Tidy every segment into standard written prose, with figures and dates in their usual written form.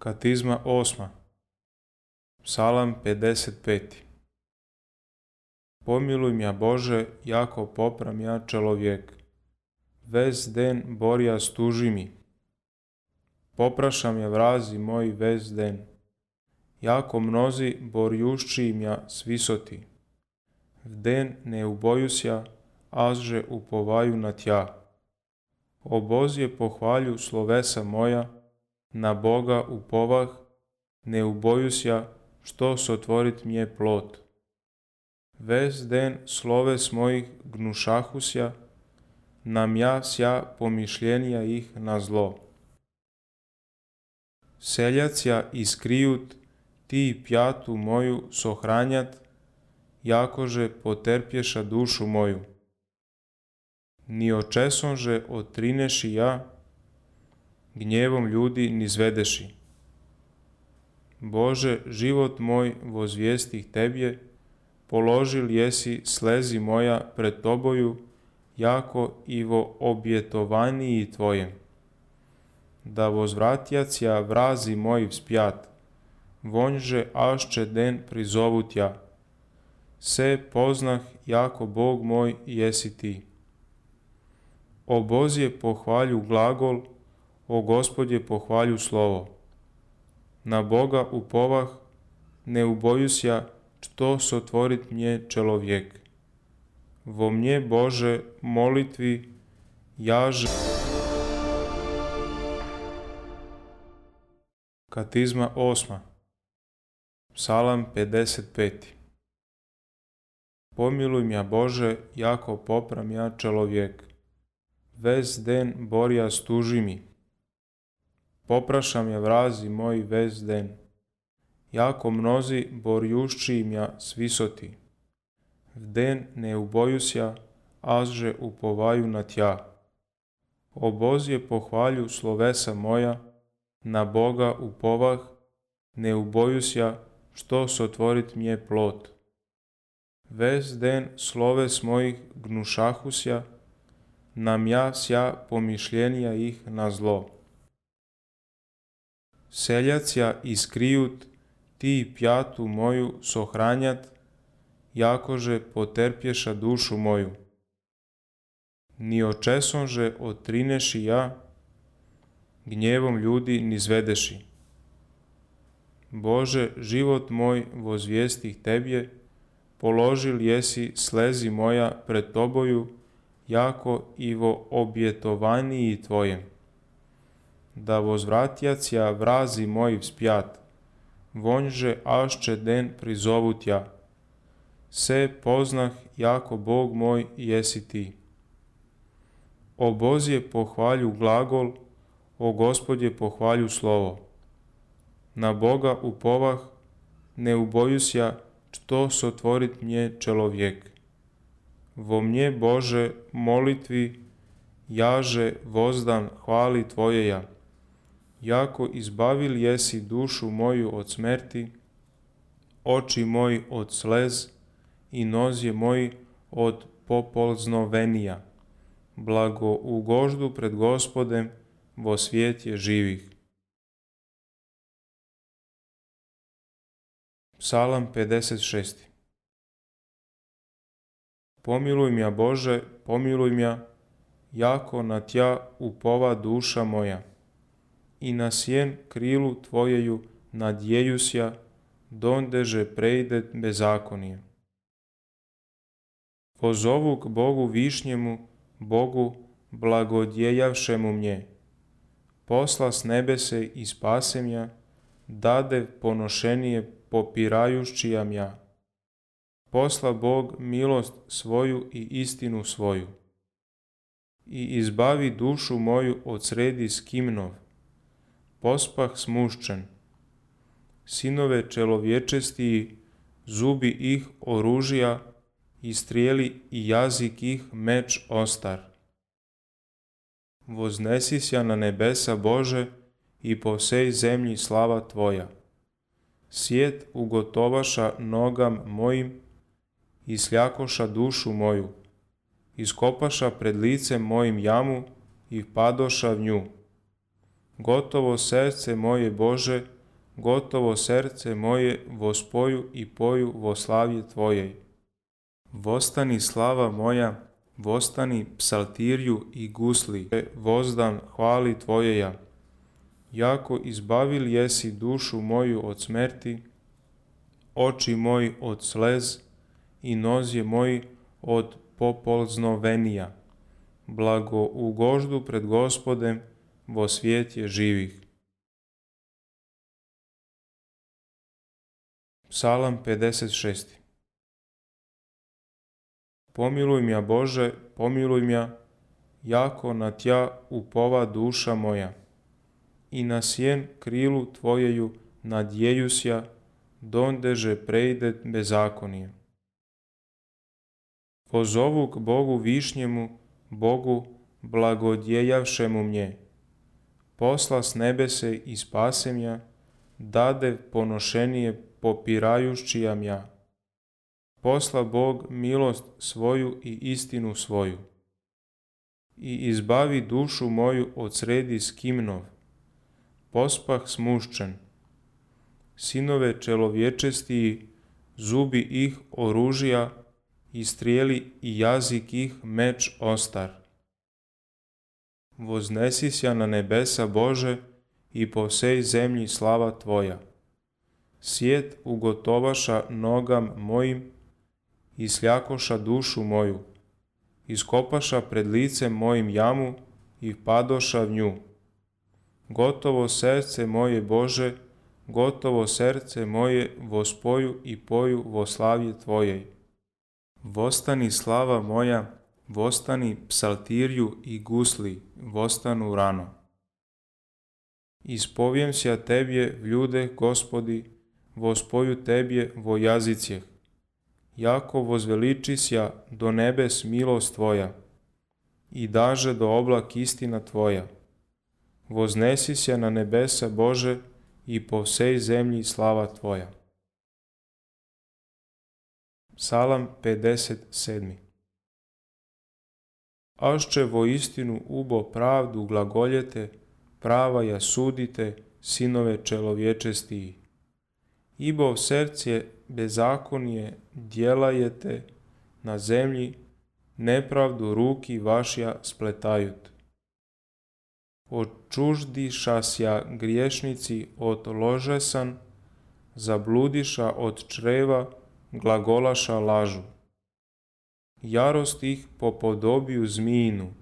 Katizma 8. Psalam 55. Pomiluj mja Bože, jako popram ja čelovjek. Ves den borja stuži mi. Poprašam ja vrazi moj ves den. Jako mnozi borjušči mja svisoti. V den ne ubojusja, azže upovaju na tja. Obozje pohvalju slovesa moja, na Boga upovah, ne ubojusja, što sotvorit mje plot. Ves den sloves mojih gnušahusja, na mja sja pomišljenja ih na zlo. Seljacija iskrijut, ti pjatu moju sohranjat, jakože poterpješa dušu moju. Ni očesonže otrineši ja, gnjevom ljudi nizvedeši. Bože, život moj vozvijestih Tebje, položil jesi slezi moja pred Toboju, jako i vo objetovaniji Tvojem. Da vozvratjacija vrazi moji vspjat, vonjže ašće den prizovut ja. Se poznah jako Bog moj jesi Ti. O Bozje pohvalju glagol, o Gospodje pohvalju slovo. Na Boga upovah, ne ubojusja, što sotvorit mje čelovjek. Vo mnje Bože molitvi jaže. Katizma 8. Psalam 55. Pomiluj mja Bože, jako popram ja čelovjek. Ves den borja stuži mi. Poprašam ja vrazi moj ves den. Jako mnozi borjušči mja svisoti. V den ne ubojusja, azže upovaju na tja. Obozje pohvalju slovesa moja, na Boga upovah, ne ubojusja, što sotvorit mje plot. Ves den sloves mojih gnušahusja, na mja sja pomišljenja ih na zlo. Seljacija iskrijut, ti pjatu moju sohranjat, jakože poterpješa dušu moju. Ni očesonže otrineši ja, gnjevom ljudi nizvedeši. Bože, život moj vozvijestih Tebje, položil jesi slezi moja pred Toboju, jako i vo objetovaniji Tvojem. Da vozvratjacija vrazi moji vspjat, vonjže ašće den prizovut ja. Se poznah jako Bog moj jesi Ti. O Bozje pohvalju glagol, o Gospodje pohvalju slovo. Na Boga upovah, ne ubojusja, što sotvorit mje čelovjek. Vo mnje Bože molitvi jaže vozdan hvali Tvojeja. Jako izbavil jesi dušu moju od smrti, oči moji od slez i nozje moji od popolznovenija. Blago ugoždu pred Gospodem vo svijetje živih. Psalam 56. Pomiluj mja Bože, pomiluj mja, jako na Tja upova duša moja. I na sjen krilu Tvojeju nadjejusja, dondeže prejde bezakonije. Pozovu k Bogu višnjemu, Bogu blagodjejavšemu mnje. Posla s nebese i spasem ja, dade ponošenije popirajuščija mja. Posla Bog milost svoju i istinu svoju. I izbavi dušu moju od sredi skimnov. Pospah smuščen. Sinove čelovječestiji, zubi ih oružja, i strijeli i jazik ih meč ostar. Voznesisja na nebesa Bože i po sej zemlji slava Tvoja. Svijet ugotovaša nogam mojim, i sljakoša dušu moju, iskopaša pred licem mojim jamu i padoša v nju. Gotovo srce moje Bože gotovo srce moje vospoju i poju vo slavje Tvojej. Vostani slava moja, vostani psaltirju i gusli, vozdan hvali Tvojeja. Jako izbavil jesi dušu moju od smrti, oči moji od slez i nozje moji od popolznovenija. Blago ugoždu pred Gospodem vo svijetje živih. Psalam 56. Pomiluj mja Bože, pomiluj mja, jako na Tja upova duša moja. I na sjen krilu Tvojeju nadjejusja, dondeže prejde bezakonije. Pozovu k Bogu višnjemu, Bogu blagodjejavšemu mnje. Posla s nebese i spase mja, dade ponošenije popirajušćija mja. Posla Bog milost svoju i istinu svoju. I izbavi dušu moju od sredi skimnov. Pospah smuščen. Sinove čelovječestiji, zubi ih oružja, i strijeli i jazik ih meč ostar. Voznesisja na nebesa Bože i po vsej zemlji slava Tvoja. Svijet ugotovaša nogam mojim i sljakoša dušu moju. Iskopaša pred licem mojim jamu i padoša v nju. Gotovo srce moje Bože, gotovo srce moje vospoju i poju vo slavje Tvojej. Vostani slava moja, vostani psaltirju i gusli, vostanu rano. Ispovijem sja Tebje v ljude, Gospodi, vospoju Tebje vo jazicjeh. Jako vozveličisja do nebes milost Tvoja i daže do oblak istina Tvoja. Voznesisja na nebesa Bože i po vsej zemlji slava Tvoja. Psalam 57. Ašće vo istinu ubo pravdu glagoljete, prava ja sudite, sinove čelovječestiji. Ibo srce bezakonije djelajete na zemlji, nepravdu ruki vašja spletajut. Očuždišasja griješnici od ložesan, zabludiša od čreva, glagolaša lažu. Jarost ih po podobiju zmijinu,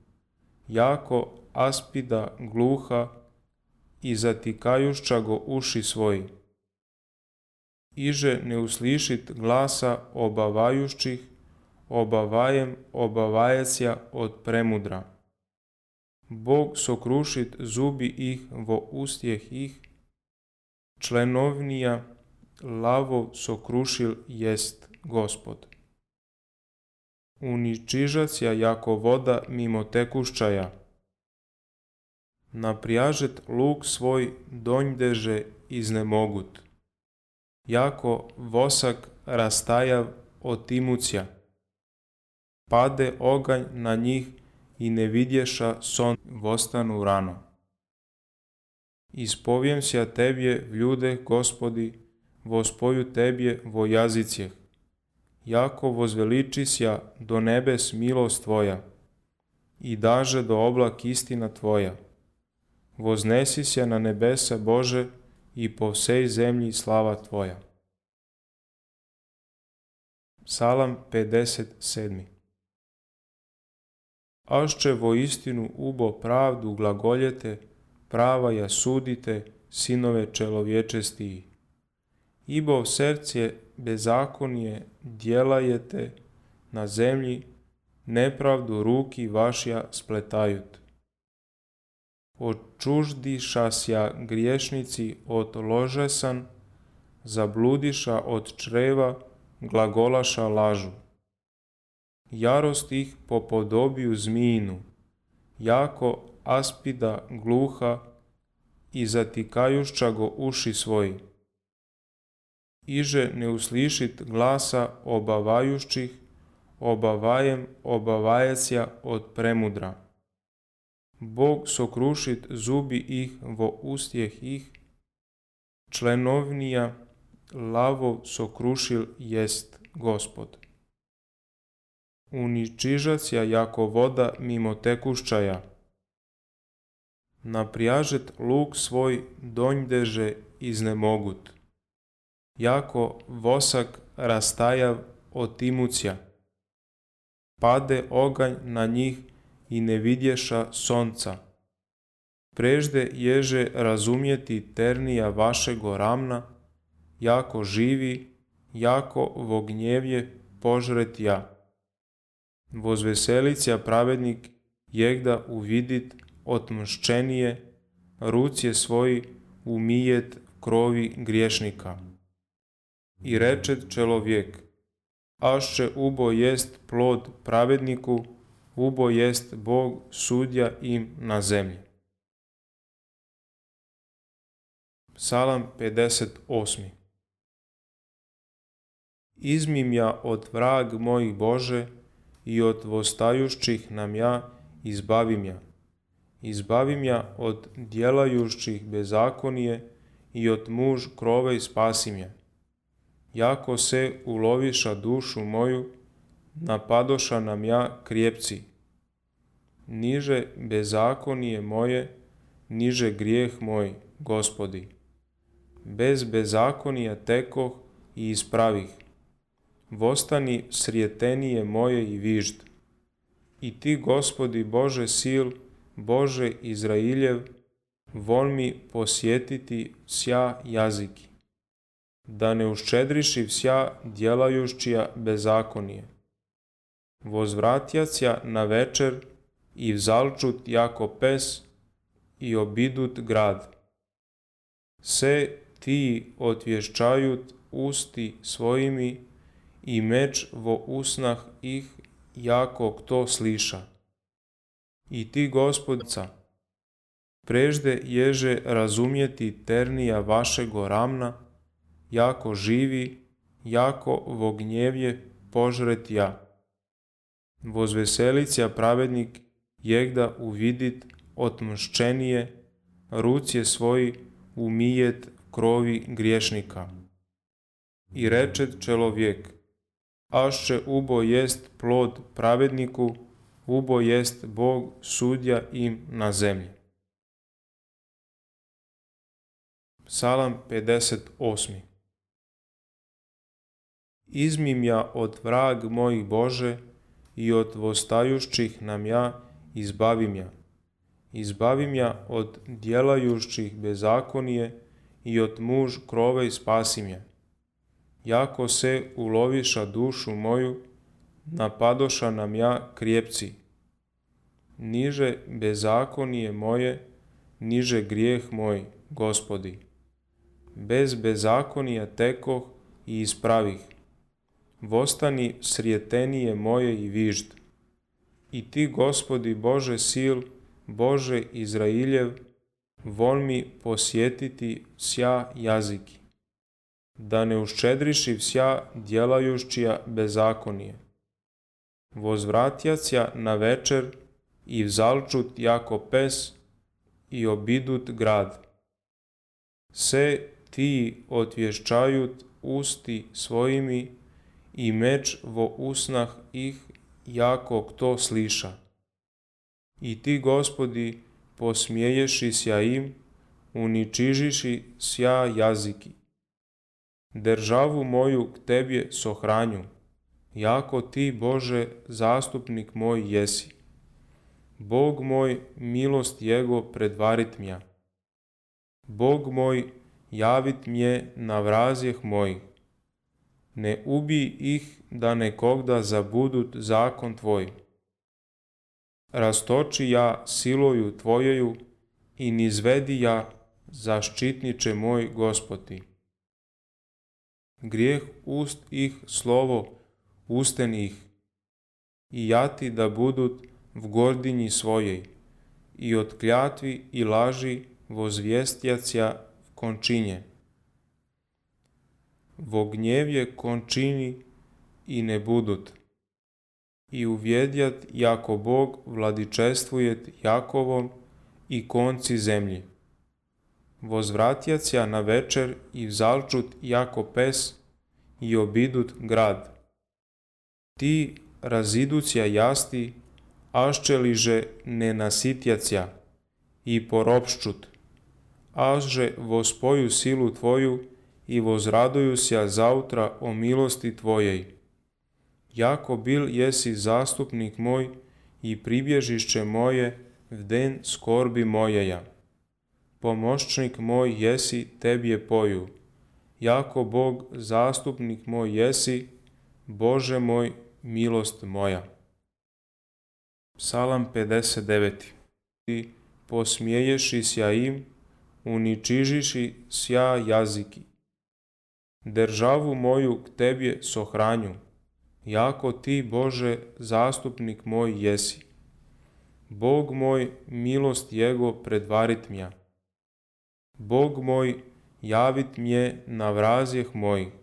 jako aspida gluha i zatikajušća go uši svoji. Iže ne uslišit glasa obavajušćih, obavajem obavajecija od premudra. Bog sokrušit zubi ih vo ustjeh ih, členovnija lavov sokrušil jest Gospod. Uničižacija jako voda mimo tekušćaja. Naprijažet luk svoj donjdeže iznemogut. Jako vosak rastajav otimucija. Pade oganj na njih i ne vidješa son vostanu rano. Ispovijem sja Tebje v ljude, Gospodi, vospoju Tebje vo jazicjeh. Jako vozveličisja do nebes milost Tvoja i daže do oblak istina Tvoja. Voznesisja na nebesa Bože i po vsej zemlji slava Tvoja. Psalam 57. Ašće vo istinu ubo pravdu glagoljete, prava ja sudite, sinove čelovječestiji. Ibo srce bezakonije djelajete na zemlji, nepravdu ruki vašja spletajut. Očuždišasja griješnici od ložesan, zabludiša od čreva, glagolaša lažu. Jarost ih po podobiju zmijinu, jako aspida gluha i zatikajušća go uši svoji. Iže ne uslišit glasa obavajušćih, obavajem obavajecija od premudra. Bog sokrušit zubi ih vo ustjeh ih, členovnija lavov sokrušil jest Gospod. Uničižacija jako voda mimo tekuščaja. Naprijažet luk svoj donjdeže iznemogut. Jako vosak rastajav otimucija. Pade oganj na njih i ne vidješa sonca. Prežde ježe razumjeti ternija vašego ramna, jako živi, jako vognjevje požret ja. Vozveselicija pravednik jegda uvidit otmščenije, rucije svoji umijet krovi griješnika. I rečet čelovjek, ašće ubo jest plod pravedniku, ubo jest Bog sudja im na zemlji. Psalam 58. Izmim ja od vrag mojih Bože i od vostajušćih nam ja izbavim ja. Izbavim ja od djelajušćih bezakonije i od muž krove spasim ja. Jako se uloviša dušu moju, napadoša nam ja krijepci. Niže bezakonije moje, niže grijeh moj, Gospodi. Bez bezakonija tekoh i ispravih. Vostani srijetenije moje i vižd. I ti, Gospodi Bože sil, Bože Izrailjev, vol mi posjetiti sja jaziki, da ne uščedriši vsja djelajušćija bezakonije. Vozvratjacija na večer i vzalčut jako pes i obidut grad. Se ti otvješčajut usti svojimi i meč vo usnah ih jako kto sliša. I ti, Gospodca, prežde ježe razumjeti ternija vašego ramna, jako živi, jako vognjevje požret ja. Vozveselicija pravednik jegda uvidit otmščenije, rucije svoji umijet krovi griješnika. I rečet čelovjek, ašće ubo jest plod pravedniku, ubo jest Bog sudja im na zemlji. Psalam 58. Izmim ja od vrag mojih Bože i od vostajušćih nam ja izbavim ja. Izbavim ja od djelajušćih bezakonije i od muž krove spasim ja. Jako se uloviša dušu moju, napadoša nam ja krijepci. Niže bezakonije moje, niže grijeh moj, Gospodi. Bez bezakonija tekoh i ispravih. Vostani srijetenije moje i vižd. I ti, Gospodi Bože sil, Bože Izrailjev, vol mi posjetiti sja jaziki, da ne uščedriši vsja djelajušćija bezakonije. Vozvratjacija na večer i vzalčut jako pes i obidut grad. Se ti otvješčajut usti svojimi i meč vo usnah ih jako kto sliša. I ti, Gospodi, posmijeješi sja im, uničižiši sja jaziki. Državu moju k tebje sohranju, jako ti, Bože, zastupnik moj jesi. Bog moj, milost jego predvarit mja. Bog moj, javit mje na vrazjeh mojih. Ne ubij ih da nekogda zabudut zakon tvoj. Rastoči ja siloju tvojeju i nizvedi ja zaštitniče moj Gospodi. Grijeh ust ih slovo usten ih i jati da budut v gordinji svojej i od kljatvi i laži vozvjestjacija v končinje. Vo gnjevje končini i ne budut i uvjedjat jako Bog vladičestvujet Jakovom i konci zemlje. vozvratjacija na večer i vzalčut jako pes i obidut grad. Ti raziducija jasti, aščeliže ne nasitjacija i poropščut, aže vospoju silu tvoju i vozradujusja zautra o milosti tvojej. Jako bil jesi zastupnik moj i pribježišće moje v den skorbi mojeja. Pomoćnik moj jesi, tebje poju. Jako Bog zastupnik moj jesi, Bože moj, milost moja. Psalam 59. Ti posmijeješi sja im, uničižiši sja jaziki. Državu moju k tebje sohranju, jako ti, Bože, zastupnik moj jesi. Bog moj, milost Jego predvarit mja. Bog moj, javit mje na vrazjeh mojih.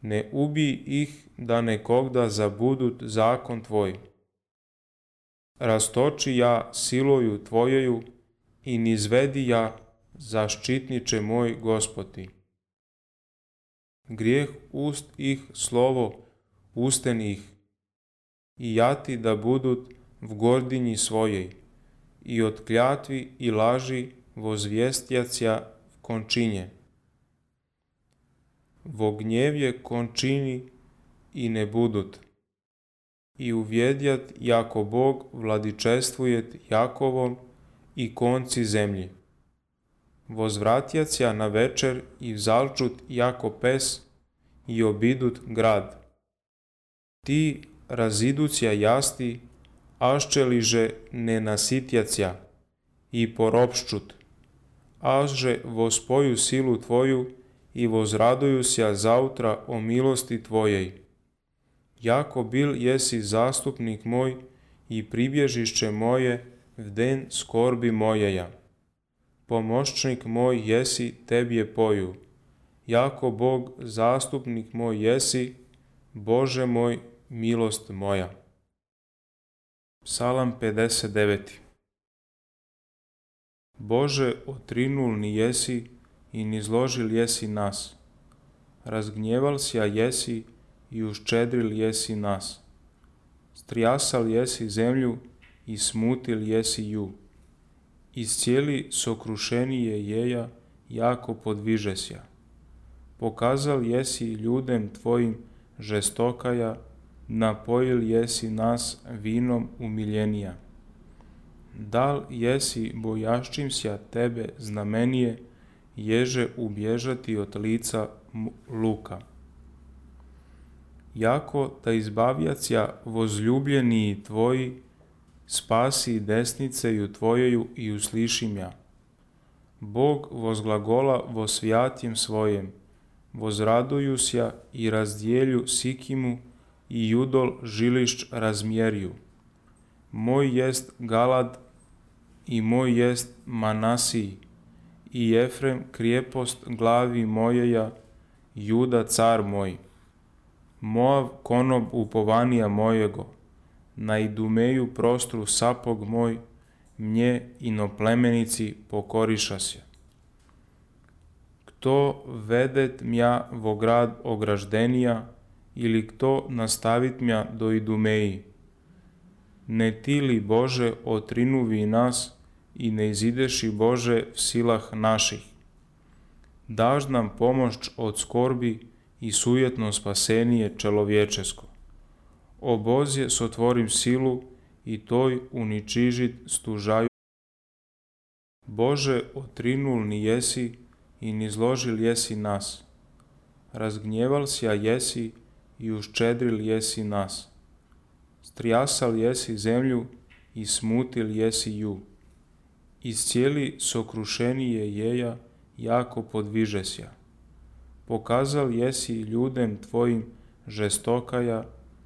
Ne ubij ih da nekogda zabudut zakon tvoj. Rastoči ja siloju tvojeju i nizvedi ja zaštitniče moj Gospodi. Grijeh ust ih slovo usten ih i jati da budut v gordinji svojej i od kljatvi i laži vozvjestjacija v končinje. Vo gnjevje končini i ne budut i uvjedjat jako Bog vladičestvujet Jakovom i konci zemlji. Vozvratjacija na večer i vzalčut jako pes i obidut grad. Ti raziducija jasti, aščeliže ne nasitjacija i poropščut, aže vospoju silu tvoju i vozradujusja zautra o milosti tvojej. Jako bil jesi zastupnik moj i pribježišće moje v den skorbi mojeja. Pomoćnik moj jesi, tebje poju. Jako Bog zastupnik moj jesi, Bože moj, milost moja. Psalam 59. Bože, otrinulni jesi i nizložil jesi nas. Razgnjeval sja jesi i uščedril jesi nas. Strijasal jesi zemlju i smutil jesi ju. Iscijeli sokrušenije jeja jako podvižesja. Pokazal jesi ljudem tvojim žestokaja, napojil jesi nas vinom umiljenija. Dal jesi bojaščimsja tebe znamenije, ježe ubježati od lica luka. Jako da izbavjacija vozljubljeniji tvoji, spasi desniceju tvojeju i uslišim ja. Bog vozglagola vo svjatjem svojem, vozradujusja i razdijelju Sikimu i Judol žilišć razmjerju. Moj jest Galad i moj jest Manasij, i Efrem krijepost glavi mojeja, Juda car moj. Moav konob upovanija mojego, na Idumeju prostru sapog moj, mnje inoplemenici pokoriša se. Kto vedet mja vo grad ograždenija, ili kto nastavit mja do Idumeji? Ne ti li, Bože, otrinuvi nas i ne izideši, Bože, v silah naših. Daž nam pomoć od skorbi i sujetno spasenije čelovječesko. O Bože, sotvorim silu i toj uničižit stužaju. Bože, otrinulni jesi i nizložil jesi nas. Razgnjeval sja jesi i uščedril jesi nas. Strijasal jesi zemlju i smutil jesi ju. Iscijeli sokrušenije jeja jako podvižesja. Pokazal jesi ljudem tvojim žestokaja,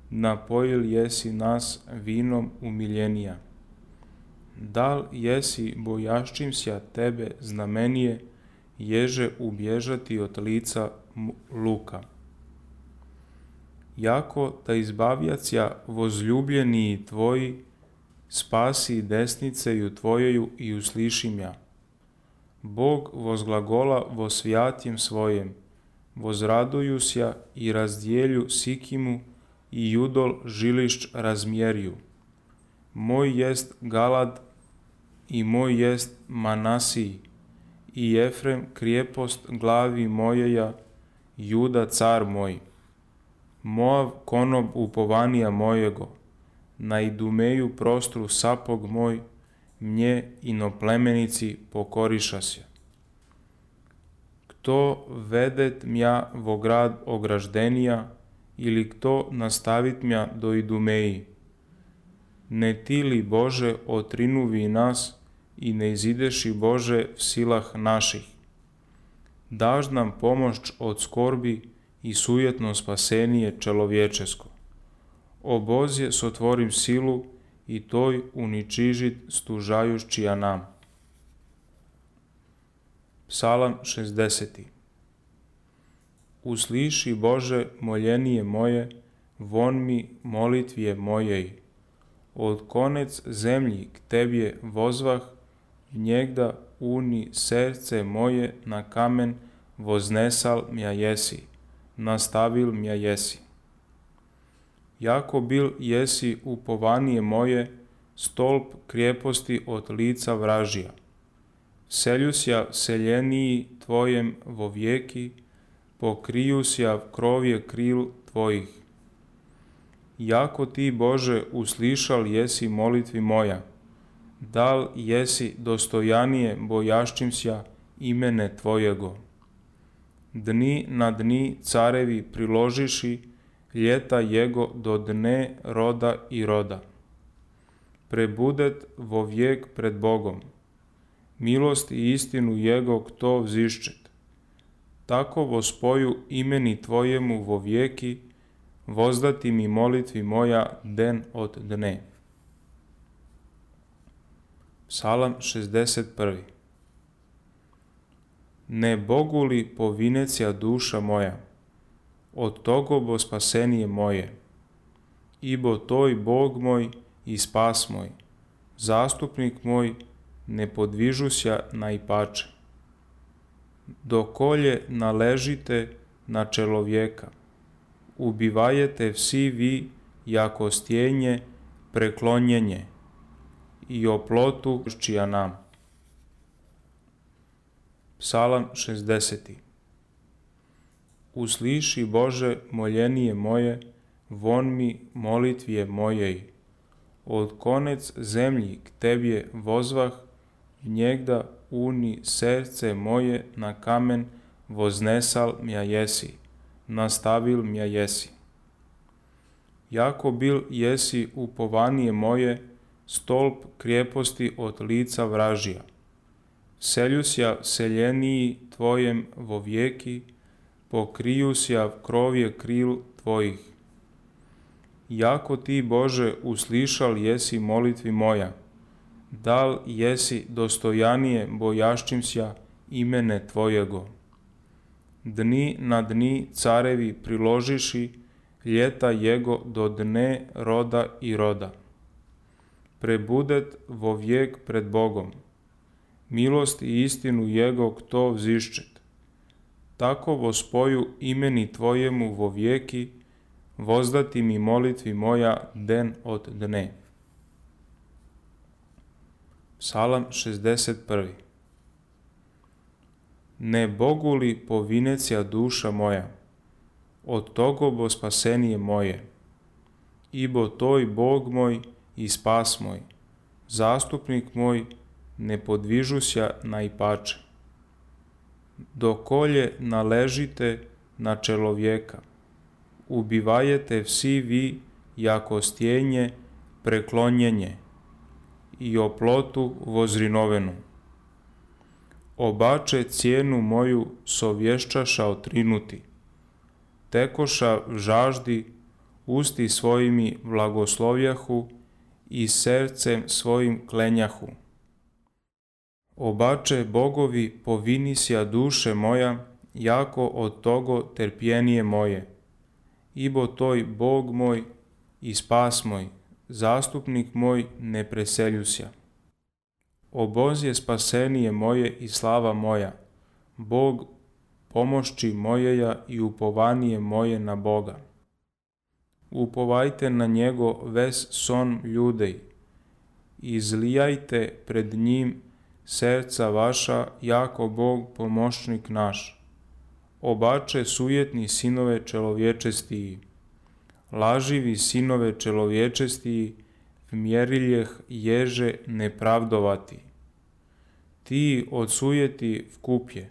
napojil jesi nas vinom umiljenija. Dal jesi bojaščimsja tebe znamenije, ježe ubježati od lica luka. Jako da izbavjacija vozljubljeniji tvoji, spasi desniceju tvojeju i uslišim ja. Bog vozglagola vo svjatjem svojem, vozradujusja i razdijelju Sikimu i Judol žilišć razmjerju. Moj jest Galad i moj jest Manasij, i Efrem krijepost glavi mojeja, Juda car moj. Moav konob upovanija mojego, na Idumeju prostru sapog moj, mnje inoplemenici pokorišasja. Kto vedet mja vo grad ograždenija, ili kto nastavit mja do Idumeji? Ne ti li, Bože, otrinuvi nas i ne izideši, Bože, v silah naših? Daž nam pomoć od skorbi i sujetno spasenije čelovječesko. Obozje sotvorim silu i toj uničižit stužajušćija nam. Psalam 60. Usliši, Bože, moljenije moje, von mi molitvije mojej. Od konec zemlji k Tebje vozvah, njegda uni srce moje na kamen voznesal mja jesi, nastavil mja jesi. Jako bil jesi upovanije moje, stolp krijeposti od lica vražija. Seljusja seljeniji Tvojem vo vijeki, pokrijusja krovje kril Tvojih. Jako Ti, Bože, uslišal jesi molitvi moja, dal jesi dostojanije bojaščimsja imene Tvojego. Dni na dni carevi priložiši, ljeta jego do dne roda i roda. Prebudet vo vijek pred Bogom, milost i istinu jego kto vziščet. Tako vo spoju imeni Tvojemu vo vijeki, vozdati mi molitvi moja den od dne. Psalam 61. Ne Bogu li povinecija duša moja, od togo bo spasenije moje, ibo toj Bog moj i spas moj, zastupnik moj, ne podvižusja najpače. Dokolje naležite na čelovjeka, ubivajete vsi vi jako stjenje preklonjenje i oplotu čija nam. Psalam 60. Usliši, Bože, moljenije moje, von mi molitvije mojej. Od konec zemlji k Tebje vozvah, njegda uni srce moje na kamen voznesal mja jesi, nastavil mja jesi. Jako bil jesi upovanije moje, stolp krijeposti od lica vražija. Seljusja seljeniji Tvojem vo vijeki, pokrijusja krovje kril Tvojih. Jako Ti, Bože, uslišal jesi molitvi moja, dal jesi dostojanije bojaščimsja imene Tvojego. Dni na dni carevi priložiši, ljeta jego do dne roda i roda. Prebudet vo vijek pred Bogom, milost i istinu jego kto vziščet. Tako vo spoju imeni Tvojemu vo vijeki, vozdati mi molitvi moja den od dne. Psalam 61. Ne Bogu li povinecija duša moja, od togo bo spasenije moje, ibo toj Bog moj i spas moj, zastupnik moj, ne podvižusja najpače. Dokolje naležite na čelovjeka, ubivajete vsi vi jako stjenje preklonjenje i oplotu vozrinovenu. Obače cijenu moju sovješćaša otrinuti, tekoša v žaždi, usti svojimi blagoslovljahu i srcem svojim klenjahu. Obače bogovi povinisja duše moja, jako od togo terpjenije moje, ibo toj Bog moj i spas moj, zastupnik moj ne preseljusja. Obozje spasenije moje i slava moja, Bog pomošći mojeja i upovanije moje na Boga. Upovajte na njego ves son ljudej, izlijajte pred njim serca vaša, jako Bog pomoćnik naš. Obače sujetni sinove čelovječestiji, laživi sinove čelovječestiji, vmjeriljeh ježe nepravdovati. Ti od sujeti vkupje,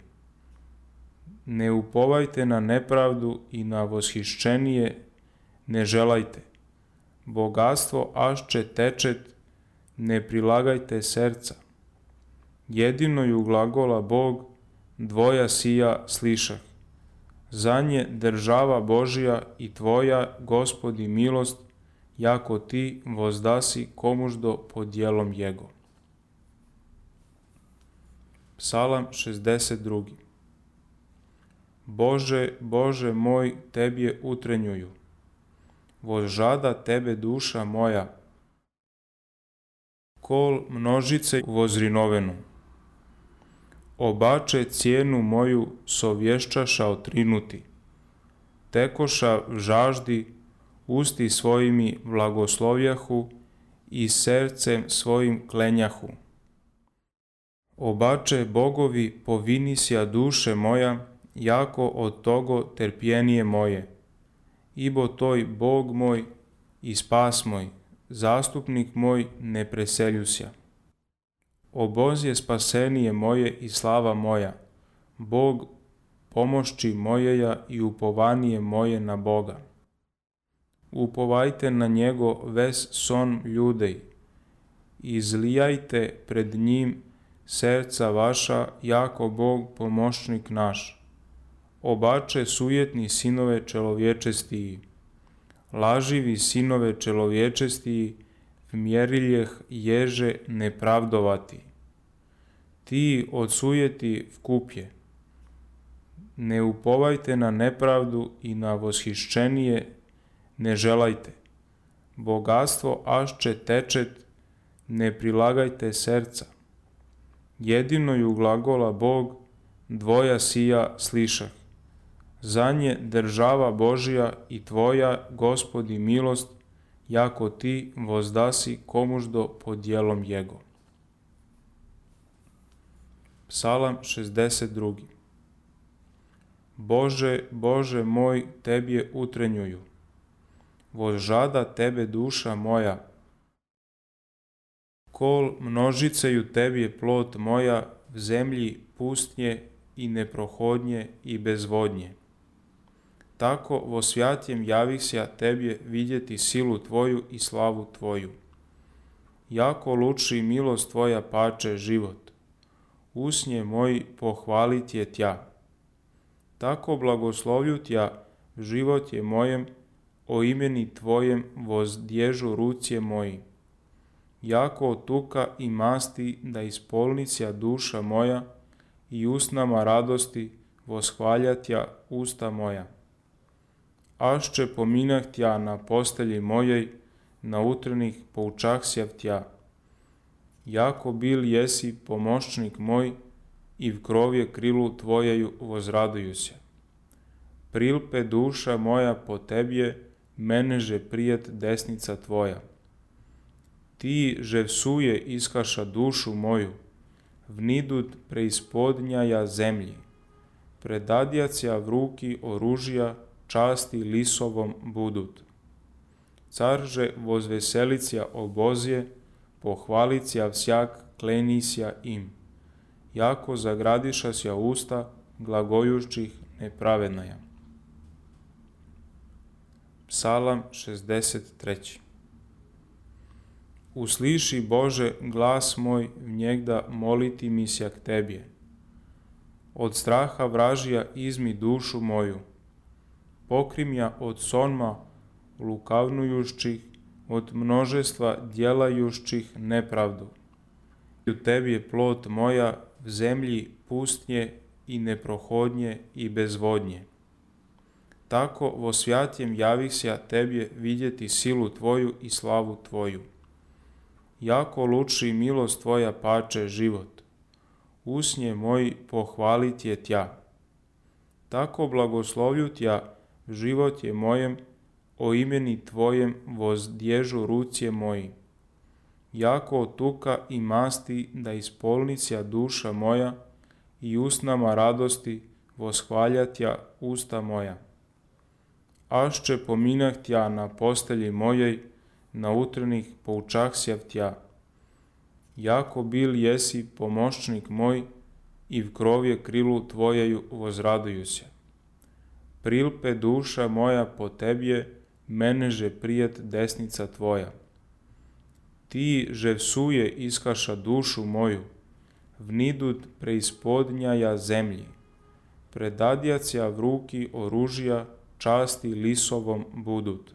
ne upovajte na nepravdu i na voshišćenije ne želajte. Bogatstvo ašće tečet, ne prilagajte serca. Jedino ju glagola Bog, dvoja sija slišah. Za nje država Božja i tvoja, Gospodi, milost, jako ti vozdasi komuždo pod djelom jego. Psalam 62. Bože, Bože moj, tebje utrenjuju, vozžada tebe duša moja, kol množice vozrinovenu. Obače cijenu moju sovješćaša otrinuti, tekoša v žaždi, usti svojimi blagoslovjahu i sercem svojim klenjahu. Obače bogovi povinisja duše moja, jako od togo terpjenije moje. Ibo toj Bog moj i spas moj, zastupnik moj ne preseljusja. Obozje spasenije moje i slava moja, Bog pomošći mojeja i upovanije moje na Boga. Upovajte na njego ves son ljudej, izlijajte pred njim serca vaša, jako Bog pomoćnik naš. Obače sujetni sinove čelovječestiji, laživi sinove čelovječestiji, vmjeriljeh ježe nepravdovati. Ti od sujeti vkupje, ne upovajte na nepravdu i na voshišćenije ne želajte. Bogatstvo ašće tečet, ne prilagajte serca. Jedino ju glagola Bog, dvoja sija slišah. Za nje država Božja i tvoja, Gospodi, milost, jako ti vozdasi komuždo pod djelom jego. Psalam 62. Bože, Bože moj, tebje utrenjuju, vozžada tebe duša moja, kol množiceju tebje plot moja, v zemlji pustnje i neprohodnje i bezvodnje. Tako vo svjatjem javihsja tebje vidjeti silu tvoju i slavu tvoju. Jako luči milost tvoja pače život, usnje moji pohvalit je tja. Tako blagoslovlju tja v život je mojem, o imeni tvojem vozdježu rucije moji. Jako od tuka i masti da ispolnicija duša moja i usnama radosti voshvaljatja usta moja. Ašće pominah tja na postelji mojej, na utrenih poučahsjav tja. Jako bil jesi pomoćnik moj i v krovje krilu tvojeju vozraduju se. Prilpe duša moja po tebje, meneže prijet desnica tvoja. Ti že vsuje iskaša dušu moju, vnidut preispodnjaja zemlji. Predadjacija v ruki oružja, časti lisovom budut. Carže vozveselicija obozje, pohvalicija vsjak klenisja im. Jako zagradišasja usta glagojućih nepravednaja. Psalam 63. Usliši Bože glas moj, vnjegda moliti mi sja k tebje. Od straha vražija izmi dušu moju. Pokrim ja od sonma lukavnujušćih, od množestva djelajušćih nepravdu. U tebi je plot moja v zemlji pustnje i neprohodnje i bezvodnje. Tako vo svjatjem javihsja tebje vidjeti silu tvoju i slavu tvoju. jako luči milost tvoja pače život. Usnje moji pohvalit je tja. Tako blagoslovlju tja, život je mojem, o imeni tvojem vozdježu rucije moji. Jako od tuka i masti da ispolnića duša moja i usnama radosti voshvaljatja usta moja. Ašće pominah tja na postelji mojej, na utrnih poučahsjav tja. Jako bil jesi pomoćnik moj i v krovje krilu tvojeju vozraduju se. Prilpe duša moja po tebje, meneže prijet desnica tvoja. Ti že vsuje iskaša dušu moju, vnidut preispodnjaja zemlji. Predadjacija v ruki oružja, časti lisovom budut.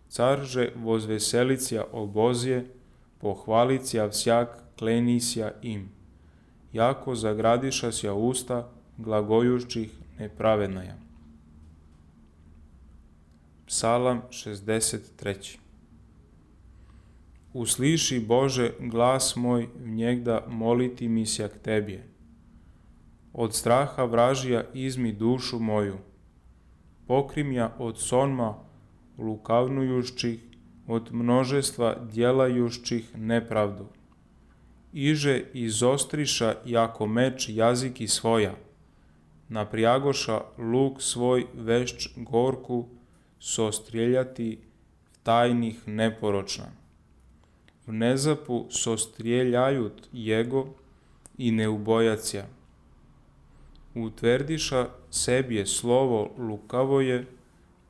Car že vozveselicija obozje, pohvalicija vsjak klenisja im. Jako zagradišasja usta glagojućih nepravednaja. Psalam 63. Usliši Bože glas moj, vnjegda moliti mi sja k tebje. Od straha vražija izmi dušu moju. Pokrim ja od sonma lukavnujućih, od množestva djelajućih nepravdu. Iže izostriša jako meč jaziki svoja, naprijagoša luk svoj vešć gorku, sostrijeljati tajnih neporočna. V nezapu sostrijeljajut jego i ne ubojacija. Utverdiša sebje slovo lukavoje,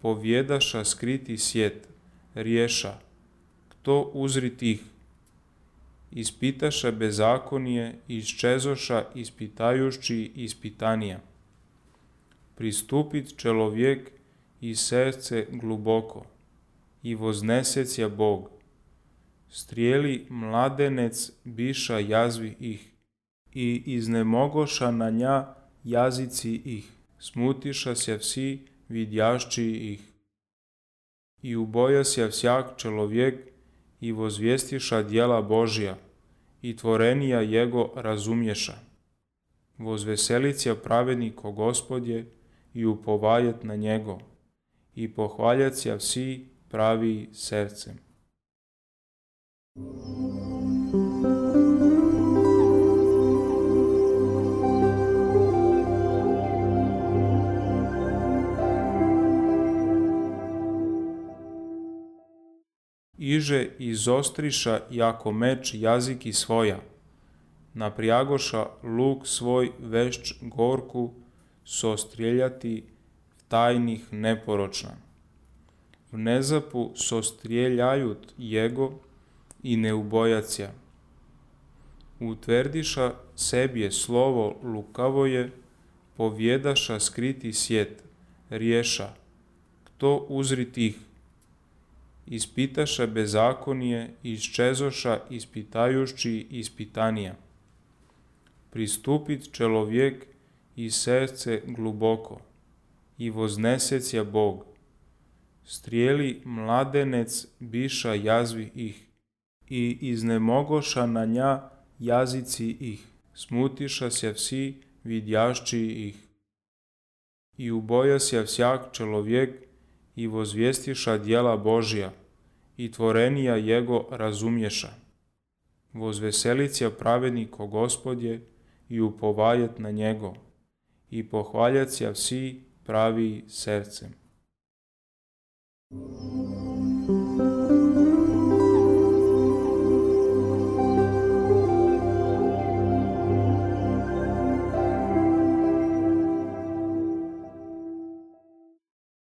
povjedaša skriti sjet, riješa, kto uzri tih. Ispitaša bezakonije, iščezoša ispitajući ispitanija. Pristupit čelovjek i srce gluboko, i voznesecija Bog. Strijeli mladenec biša jazvi ih, i iznemogoša na nja jazici ih, smutiša se vsi vidjašći ih. I ubojasja vsjak čelovjek i vozvjestiša djela Božja, i tvorenija jego razumješa. Vozveselicija pravednik o Gospodje i upovajet na njego, i pohvaljacija vsi pravi srcem. Iže izostriša jako meč jaziki svoja, naprijagoša luk svoj vešć gorku, sostrijeljati tajnih neporočna. V nezapu sostrijeljajut jego i ne ubojacija. Utverdiša sebje slovo lukavoje, povjedaša skriti sjet, riješa, kto uzri tih. Ispitaša bezakonije, iščezoša ispitajući ispitanija. Pristupit čelovjek i srce gluboko, i voznesecija Bog. Strijeli mladenec biša jazvi ih, i iznemogoša na nja jazici ih, smutiša se vsi vidjašći ih. I ubojasja vsjak čelovjek i vozvjestiša djela Božja, i tvorenija jego razumješa. Vozveselicija pravednik o Gospodje i upovajet na njego, i pohvaljacija vsi pravi srcem.